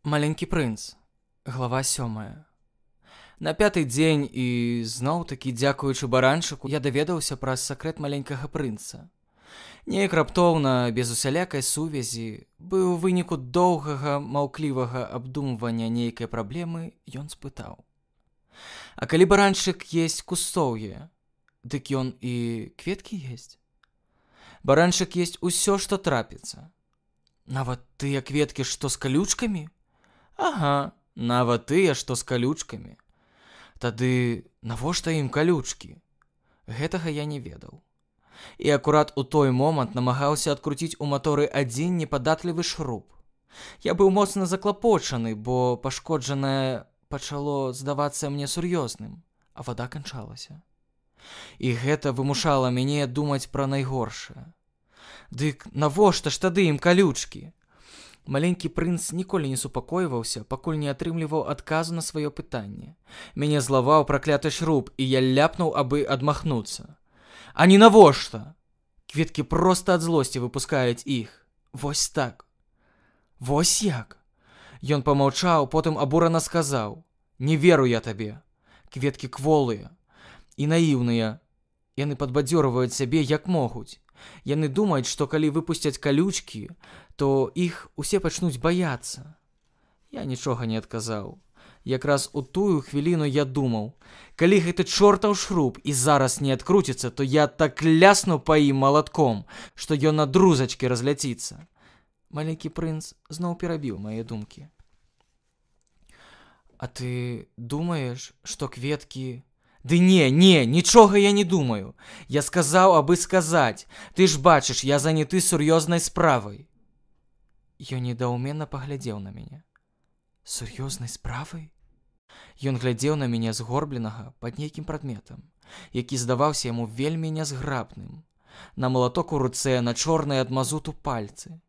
Маленькі прынц. Глава 7. На 5-й дзень і зноў-такі дзякуючы баранчыку я даведаўся пра сакрэт маленькага прынца. Неяк раптоўна, без усялякай сувязі, бы ў выніку доўгага маўклівага абдумвання нейкай праблемы, ён спытаў: «А калі баранчык есць кустоўе, дык ён і кветкі есць?» «Баранчык есць усё, што трапіцца. Нават тыя кветкі, што з калючкамі?» «Ага, нават тыя, што з калючкамі. Тады навошта ім калючкі?» Гэтага я не ведаў. І акурат у той момант намагаўся адкруціць у маторы адзін непадатлівы шруб. Я быў моцна заклапочаны, бо пашкоджанае пачало здавацца мне сур'ёзным, а вада канчалася. І гэта вымушала мяне думаць пра найгоршае. Дык навошта ж тады ім калючкі? Маленькі прынц ніколі не супакойваўся, пакуль не атрымліваў адказу на сваё пытанне. Мяне злаваў пракляты шруб, і я ляпнуў, абы адмахнуцца. А не навошта? Кветкі проста ад злосці выпускаюць іх. Вось так. Вось як? Ён памаўчаў, потым абурана сказаў: «Не веру я табе. Кветкі кволыя і наіўныя. Яны падбадзёрваюць сябе як могуць. Яны думаюць, што калі выпусцяць калючкі, то іх усе пачнуць баяцца». Я нічога не адказаў. Якраз у тую хвіліну я думаў: калі гэты чортаў шруб і зараз не адкруціцца, то я так лясну па ім малатком, што ён на друзачкі разляціцца. Маленькі прынц зноў перабіў мае думкі. «А ты думаеш, што кветкі...» «Ды не, нічога я не думаю. Я сказаў, абы сказаць. Ты ж бачыш, я заняты сур'ёзнай справай». Ён недаўменно паглядзеў на мяне. «Сур'ёзнай справай?» Ён глядзеў на мяне згорбленага пад нейкім прадметам, які здаваўся яму вельмі нязграбным. На малаток у руцэ, на чорныя ад мазуту пальцы.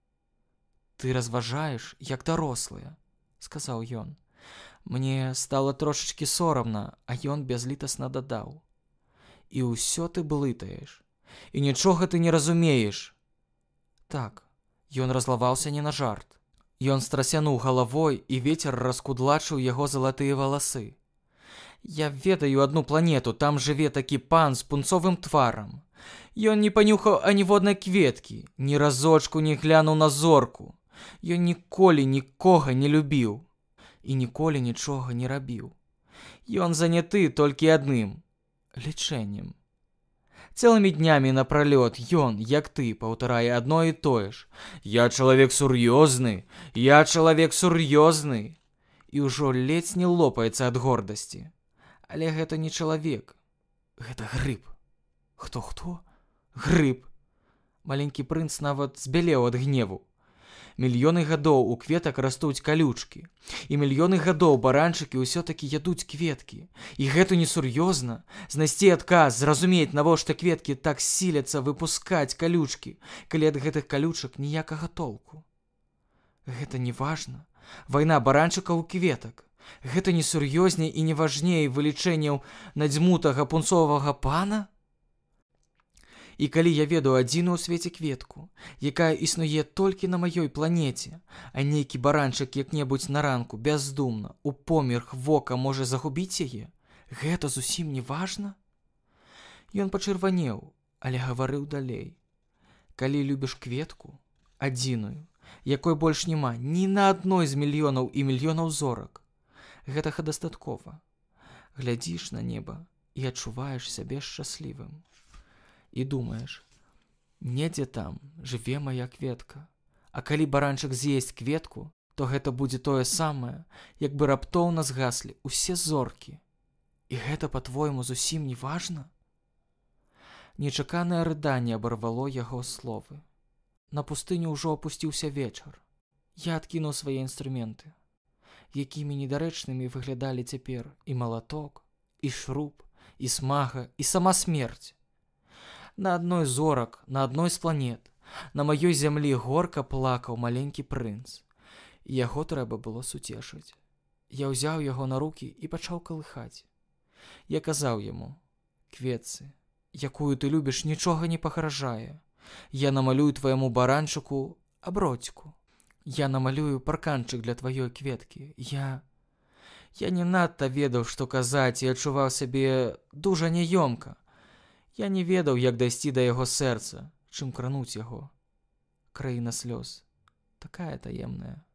«Ты разважаеш, як дарослыя», — сказаў ён. Мне стала трошачкі сорамна, а ён бязлітасна дадаў: «І ўсё ты блытаеш, і нічога ты не разумееш». Так, ён разлаваўся не на жарт. Ён страсянуў галавой, і вецер раскудлачыў яго залатыя валасы. «Я ведаю адну планету, там жыве такі пан з пунцовым тварам. Ён не панюхаў аніводнай кветкі, ні разочку не глянуў на зорку. Ён ніколі нікога не любіў і ніколі нічога не рабіў. Ён заняты толькі адным — лічэннем. Цэлымі днямі напралёт ён, як ты, паўтарае адно і тое ж: «Я чалавек сур'ёзны, я чалавек сур'ёзны», і ўжо ледзь не лопаецца ад гордасці. Але гэта не чалавек, гэта грыб. Хто? Грыб. Маленькі прынц нават збялеў ад гневу. Мільёны гадоў у кветак растуць калючкі, і мільёны гадоў баранчыкі ўсё-такі ядуць кветкі. І гэта несур'ёзна — знайсці адказ, зразумець, навошта кветкі так сіляцца выпускаць калючкі, калі ад гэтых калючак ніякага толку. Гэта не важна. Вайна баранчыкаў і кветак. Гэта несур'ёзней і не важней вылічэнняў надзьмутага пунцовага пана? І калі я ведаю адзіную ў свеце кветку, якая існуе толькі на маёй планеце, а нейкі баранчык як-небудзь на ранку бяздумна у померх вока можа загубіць яе, гэта зусім не важна? Ён пачырванеў, але гаварыў далей. Калі любіш кветку, адзіную, якой больш няма ні на адной з мільёнаў і мільёнаў зорак, гэтага дастаткова. Глядзіш на неба і адчуваеш сябе шчаслівым. І думаеш: недзе там жыве мая кветка. А калі баранчык з'есць кветку, то гэта будзе тое самае, як бы раптоўна згаслі ўсе зоркі. І гэта, па-твойму, зусім не важна? Нечаканае рыданне абарвало яго словы. На пустыню ўжо апусціўся вечар. Я адкінуў свае інструменты. Якімі недарэчнымі выглядалі цяпер і малаток, і шруб, і смага, і сама смерць. На адной з зорак, на адной з планет, на маёй зямлі горка плакаў маленькі прынц. Яго трэба было суцешыць. Я ўзяў яго на рукі і пачаў калыхаць. Я казаў яму: «Кветцы, якую ты любіш, нічога не пагражае. Я намалюю твайму баранчыку аброцьку. Я намалюю парканчык для тваёй кветкі. Я не надта ведаў, што казаць, і адчуваў сябе дужа няёмка. Я не ведаў, як дайсці да яго сэрца, чым крануць яго. Краіна слёз. Такая таемная.